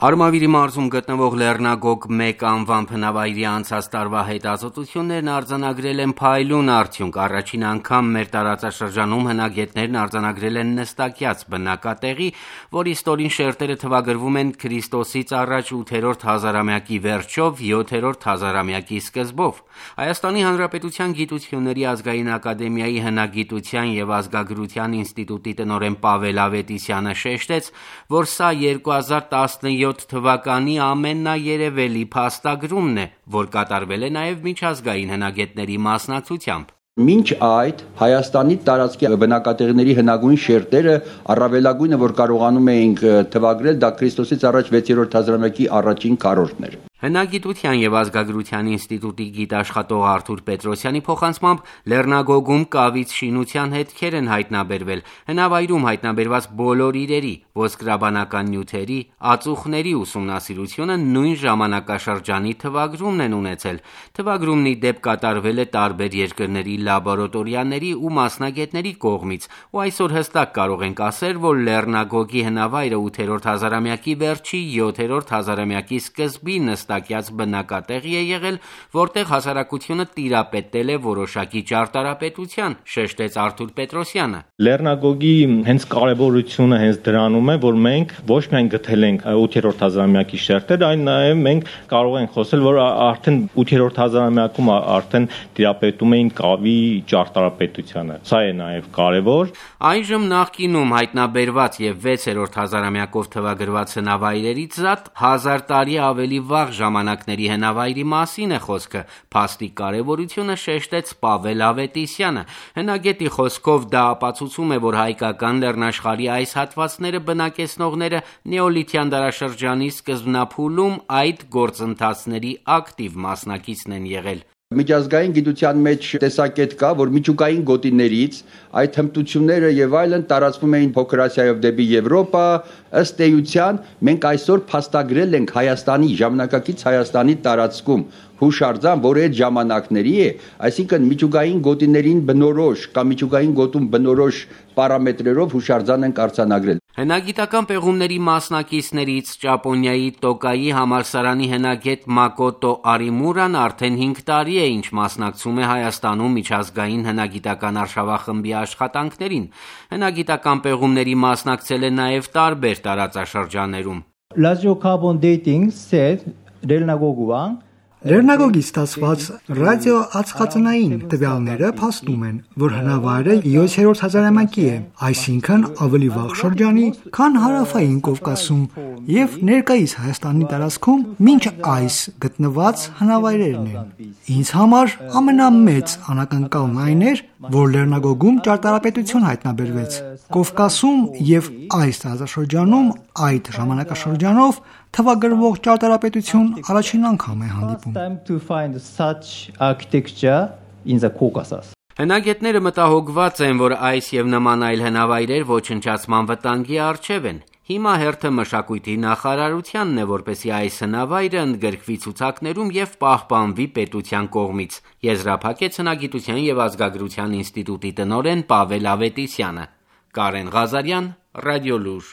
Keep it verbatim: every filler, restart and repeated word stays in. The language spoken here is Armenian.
Արմավիրի մարզում գտնվող Լեռնագոգ մեկ անվան բնավայրի անցած տարվա հետազոտություններն արձանագրել են փայլուն արդյունք։ Առաջին անգամ մեր տարածաշրջանում հնագետներն արձանագրել են նստակյաց բնակատեղի, որի ստորին շերտերը թվագրվում են Քրիստոսից առաջ ութերորդ հազարամյակի վերջով, յոթերորդ հազարամյակի սկզբով։ Հայաստանի Հանրապետության Գիտությունների ազգային ակադեմիայի հնագիտության և ազգագրության ինստիտուտի տնօրեն Պավել Ավետիսյանը շեշտեց, որ սա երկու հազար տասնյոթ թվականի ամենաերևելի փաստագրումն է, որ կատարվել է նաև միջազգային հնագետների մասնակցությամբ։ Մինչ այդ Հայաստանի տարածքի բնակատեղիների հնագույն շերտերը առավելագույնը, որ կարողանում էինք թվագրել, դա Քրիստոսից առաջ վեցերորդ հազարամյակի առաջին քառորդն էր։ Հնագիտության և ազգագրության ինստիտուտի գիտաշխատող Արթուր Պետրոսյանի փոխանցմամբ Լեռնագոգում կավից շինության հետքեր են հայտնաբերվել։ Հնավայրում հայտնաբերված բոլոր իրերի, ոսկրաբանական նյութերի, ածուխների ուսումնասիրությունը նույն ժամանակաշրջանի թվագրումն են ունեցել։ Թվագրումն ի դեպ կատարվել է տարբեր երկրների լաբորատորիաների ու մասնագետների կողմից, ու այսօր հստակ կարող ենք ասել, որ Լեռնագոգի հնավայրը ութերորդ հազարամյակի վերջի, յոթերորդ հազարամյակի սկզբի նստակյաց բնակատեղի է եղել, որտեղ հասարակությունը տիրապետել է որոշակի ճարտարապետության, շեշտեց Արթուր Պետրոսյանը։ Լեռնագոգի հենց կարևորությունը հենց դրանում է, որ մենք ոչ միայն գտել ենք ութերորդ հազարամյակի շերտեր, այլ նաև մենք կարող ենք խոսել, որ արդեն ութերորդ հազարամյակում արդեն տիրապետում էին կավի ճարտարապետությանը։ Սա է նաև կարևոր։ Այժմ նախկինում հայտնաբերված և վեցերորդ հազարամյակով թվագրված հնավայրերից զատ հազար տարի ավելի վաղ ժամանակների հնավայրի մասին է խոսքը։ Փաստի կարևորությունը շեշտեց Պավել Ավետիսյանը։ Հնագետի խոսքով դա ապացուցում է, որ հայկական լեռնաշխարհի այս հատվածները բնակեցնողները նեոլիթյան դարաշրջանի սկզբնափուլում այդ գործընթացների ակտիվ մասնակիցն են եղել։ Միջազգային գիտության մեջ տեսակետ կա, որ միջուկային գոտիներից այդ հմտությունները եւ այլն տարածվում էին Փոքր Ասիայով դեպի Եվրոպա, ըստ էության մենք այսօր փաստագրել ենք Հայաստանի ժամանակակից Հայաստանի տարածքում հուշարձան, որը այդ ժամանակների է, այսինքն միջուկային գոտիներին բնորոշ կամ միջուկային գոտում բնորոշ պարամետրերով հուշարձան ենք արձանագրել։ Հնագիտական պեղումների մասնակիցներից Ճապոնիայի Տոկայի համալսարանի հնագետ Մակոտո Արիմուրան արդեն հինգ տարի է, ինչ մասնակցում է Հայաստանում միջազգային հնագիտական արշավախմբի աշխատանքներին։ Հնագիտական պեղումների մասնակցել է նաև տարբեր տարածաշրջաններում։ Radiocarbon dating said Լեռնագոգուան Լեռնագոգից ստացված ռադիոածխածնային տվյալները փաստում են, որ հնավայրը յոթերորդ հազարամյակի է, այսինքն ավելի վաղ շրջանի, քան հարավային Կովկասում և ներկայիս Հայաստանի տարածքում մինչ այս գտնված հնավայրերն են։ Ինձ համար ամենամեծ անակնկալն այն էր, որ Լեռնագոգում ճարտարապետություն հայտնաբերվեց։ Կովկասում և այս տարածաշրջանում այդ ժամանակաշրջանով թվագրվող ճարտարապետություն առաջին անգամ է հանդիպում։ Հնագետները մտահոգված են, որ այս և նման այլ հնավայրեր ոչնչացման վտանգի առջև են։ Հիմա հերթը մշակույթի նախարարությանն է, որպեսզի այս հնավայրը ընդգրկվի ցուցակներում և պահպանվի պետության կողմից, եզրափակեց Հնագիտության և ազգագրության ինստիտուտի տնօրեն Պավել Ավետիսյանը։ Կարեն Ղազարյան, Ռադիոլուր։